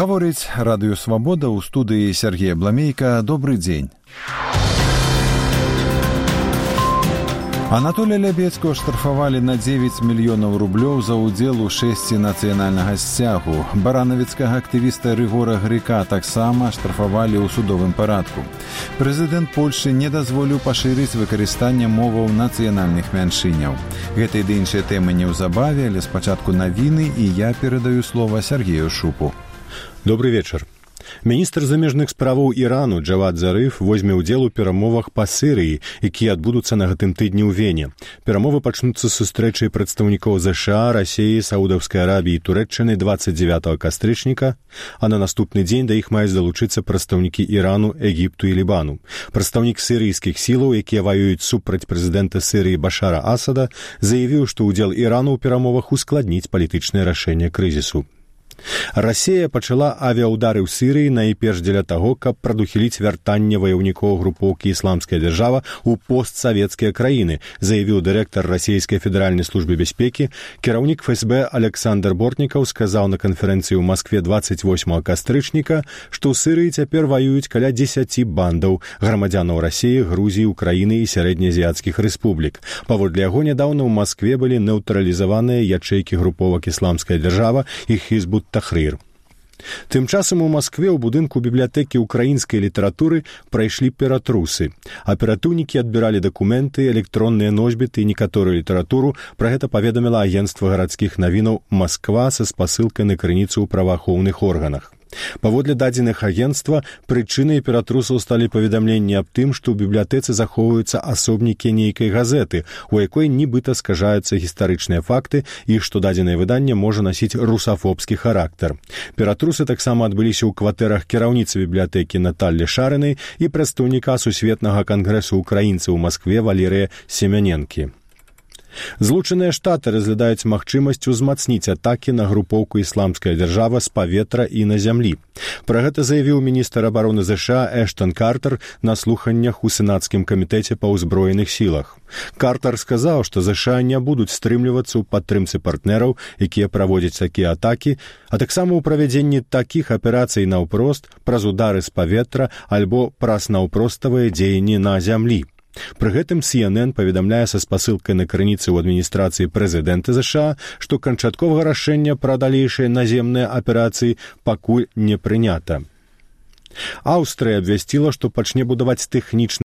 Гаворыць Радыё Свабода, ў студыі Сергея Бламейка. Добры дзень. Анатолія Лябецкага штрафавалі на 9 мільёнаў рублёў за ўдзел у шэсці нацыянальнага сцягу. Баранавіцкага актывіста Рыгора Грыка таксама штрафавалі ў судовым парадку. Прэзідэнт Польшы не дазволіў пашырыць выкарыстанне моваў нацыянальных мяншыняў. Гэта і іншыя тэмы неўзабаве, але спачатку навіны, і я перадаю слова Сергею Шупу. Добрый вечер. Міністр замежных справаў Ірану Джавад Зарыф возьме ўдзел у перамовах па Сірыі, якія адбудуцца на гэтым тыдні ў Вене. Перамовы пачнуцца з сустрэчай прадстаўнікоў ЗША, Расіі, Саудаўскай Арабіі і Турэччыны 29 кастрычніка, а на наступны дзень да іх маюць далучыцца прадстаўнікі Ірану, Егіпту і Лібану. Прадстаўнік сірыйскіх сілаў, якія ваююць супраць прэзідэнта Сірыі Башара Асада, заявіў, што ўдзел Ірану ў перамовах ускладніць палітычнае рашэнне крызісу. Расія пачала авіяудары ў Сірыі найперш дзеля таго, каб прадухіліць вяртанне ваяўнікоў групоўкі «Ісламская дзяржава» ў постсавецкія краіны, заявіў дырэктар расійскай федэральнай службы бяспекі. Кіраўнік ФСБ Александр Бортнікаў сказаў на канферэнцыі ў Маскве 28 кастрычніка, што ў Сірыі цяпер ваююць каля 10 бандаў грамадзянаў Расіі, Грузіі, Украіны і сярэднеазіяцкіх рэспублік. Паводле яго, нядаўна ў Маскве былі нейтралізаваныя ячэйкі груповак «Ісламская дзяржава» і Хізбут Тахрир. Тым часам у Маскве ў будынку бібліятэкі украінскай літаратуры прайшлі ператрусы. Аператыўнікі адбіралі дакументы, электронныя носьбіты і некаторую літаратуру. Пра гэта паведаміла агенцтва гарадскіх навінаў «Масква» са спасылкай на крыніцу ў праваахоўных органах. Паводле дадзеных агенцтва, прычынай ператрусаў сталі паведамленні аб тым, што ў бібліятэцы захоўваюцца асобнікі нейкай газеты, у якой нібыта скажаюцца гістарычныя факты і што дадзенае выданне можа насіць русафобскі характар. Ператрусы таксама адбыліся ў кватэрах кіраўніцы бібліятэкі Наталлі Шарынай і прадстаўніка Сусветнага кангрэсу ўкраінцаў у Маскве Валерыя Семяненкі. Злучаныя Штаты разглядаюць магчымасць узмацніць атакі на групоўку «Ісламская дзяржава» з паветра і на зямлі. Пра гэта заявіў міністр абароны ЗША Эштон Картер на слуханнях у сенацкім камітэце па ўзброеных сілах. Картер сказаў, што ЗША не будуць стрымлівацца ў падтрымцы партнераў, якія праводзяць такія атакі, а таксама ў правядзенні такіх аперацый наўпрост праз удары з паветра альбо праз наўпроставыя дзеянні на зямлі. Пры гэтым CNN паведамляе са спасылкай на крыніцы ў адміністрацыі прэзідэнта ЗША, што канчатковага рашэння пра далейшыя наземныя аперацыі пакуль не прынята. Аўстрыя абвясціла, што пачне будаваць тэхнічны